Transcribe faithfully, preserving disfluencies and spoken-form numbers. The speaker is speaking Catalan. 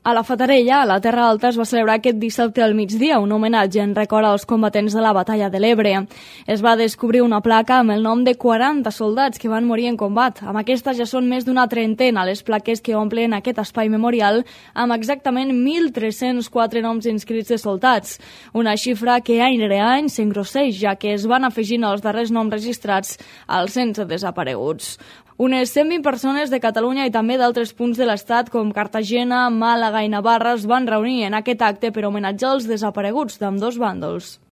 A la Fatarella, a la Terra Alta, es va celebrar aquest dissabte al migdia un homenatge en record als combatents de la Batalla de l'Ebre. Es va descobrir una placa amb el nom de quaranta soldats que van morir en combat. Amb aquesta ja són més d'una trentena les plaques que omplen aquest espai memorial amb exactament mil tres-cents quatre noms inscrits de soldats. Una xifra que any rere any s'engrosseix, ja que es van afegint els darrers noms registrats als sense desapareguts. Unes cent vint persones de Catalunya i també d'altres punts de l'estat com Cartagena, Màlaga i Navarra es van reunir en aquest acte per homenatjar els desapareguts d'ambdós bàndols.